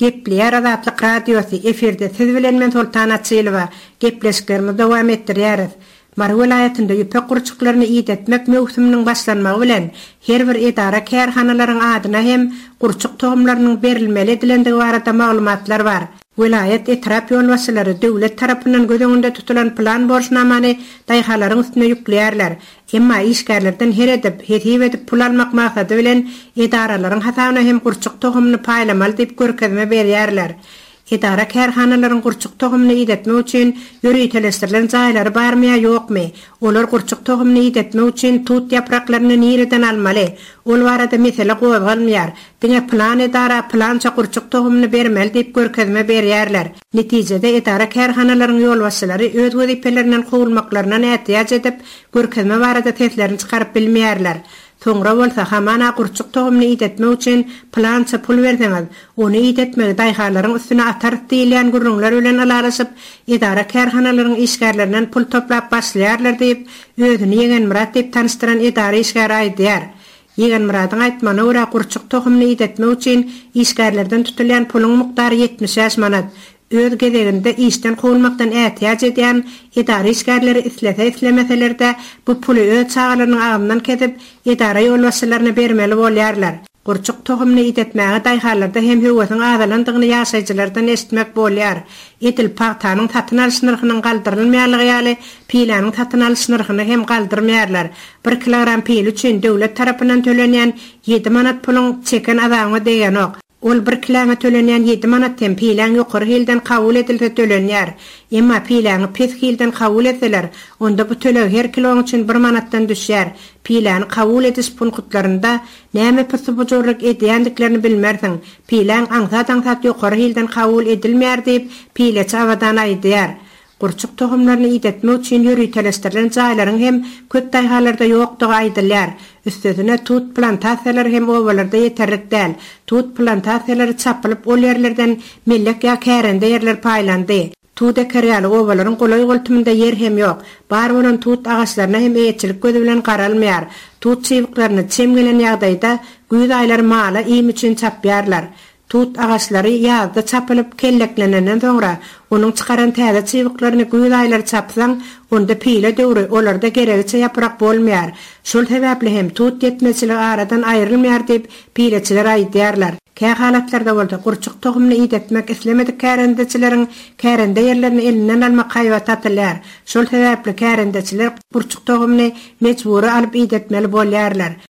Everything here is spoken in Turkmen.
Gepleýär Azatlyk Radiosy, efirde siz bilen men Soltan Açylowa. Gepleşiklerimizi dowam etdirýäris. Mary welaýatynda ýüpek gurçuklaryny idetmek möwsüminiň başlanmagy bilen, her bir edara-kärhanalaryň adyna hem gurçuk tohumlarynyň berilmeli edilendigi barada maglumatlar bar. Welaýat, etrap ýolbaşçylary döwlet tarapyndan göz öňünde tutulan plan-borçnamany daýhanlaryň üstüne ýükleýärler. Emma işgärlerden her edip, hesip edip pul almak maksady bilen edaralaryň hasabyna hem gurçuk tohumyny paýlamaly diýip görkezme berýärler. Edara-kärhanalaryň gurçuk tohumyny idetmek üçin ýöriteleşdirilen jaýlary barmy ýa ýokmy? Olar gurçuk tohumyny idetmek üçin tut ýapraklaryny nireden almaly? Ol barada mesele gozgalmaýar. Diňe pylan edara pylança gurçuk tohumyny bermeli diýip görkezme berýärler. Netijede edara-kärhanalaryň ýolbaşçylary öz wezipelerinden kowulmaklaryndan ätiýaç edip, görkezme barada seslerini çykaryp bilmeýärler. Soňra bolsa hamana gurçuk tohumyny idetmek üçin pylança pul berseňiz, ony idetmegi daýhanlaryň üstüne atarys diýilýän gürrüňler bilen ylalaşyp, edara-kärhanalaryň işgärlerinden pul toplap başlaýarlar diýip, özüni Ýegenmyrat diýip tanyşdyran edara işgäri aýdýar. Ýegenmyradyň aýtmagyna görä, gurçuk tohumyny idetmek üçin işgärlerden tutulýan puluň mukdary 75 manat. Öz gezeginde işden kowulmakdan ätiýaç edýän edara işgärleri islese-islemeseler-de bu puly öz çagalarynyň agzyndan kesip, edara ýolbaşçylaryna bermeli bolýarlar. Gurçuk tohumyny idetmäge daýhanlarda hem höwesiň azalandygyny ýaşaýjylardan eşitmek bolýar. Edil pagtanyň satyn alyş nyrhynyň galdyrylmaýanlygy ýaly, piläniň satyn alyş nyrhyny hem galdyrmaýarlar. Bir kilogram pile üçin döwlet tarapyndan tölenýän ýedi manat puluň çeken azabyňa degenok. Ol bir kiläňe tölenýän ýedi manat hem piläň ýokary hilden kabul edilse tölenýär. Emma piläňi pes hilden kabul etseler, onda bu töleg her kiloň üçin bir manatdan düşýär. Piläni kabul ediş punkutlarynda näme pyssy-bujurlyk edýändiklerini bilmersiň. Piläň aňsat-aňsat ýokary hilden kabul edilmeýär diýip, pileçi Abadan aýdýar. Gurçuk tohumlaryny idetmek üçin ýöriteleşdirilen jaýlaryň hem köp daýhanlarda ýokdugy aýdylýar. Üstesine, tut plantasiýalary hem obalarda ýeterlik däl. Tut plantasiýalary çapylyp, ol ýerlerden mellek ýa kärende ýerler paýlandy. Tut eker ýaly obalaryň golaý-goltumynda ýer hem ýok. Bar bolan tut agaçlaryna hem eýeçilik gözi bilen garalmaýar. Tut çybyklaryny çem gelen ýagdaýda güýz aýlary mala iým üçin çapýarlar. Tut agaçlary ýazda çapylyp, kelleklenenden soňra, onuň çykaran täze çybyklaryny güýz aýlary çapsaň, onda pile döwri olarda geregiçe ýaprak bolmaýar. Şol sebäpli hem tut ýetmezçiligi aradan aýrylmaýar diýip, pileçiler aýdýarlar. Kä halatlarda bolsa gurçuk tohumyny idetmek islemedik kärendeçileriň kärende ýerlerini elinden almak haýbaty atylýar. Şol sebäpli kärendeçiler gurçuk tohumyny mejbury alyp idetmeli bolýarlar.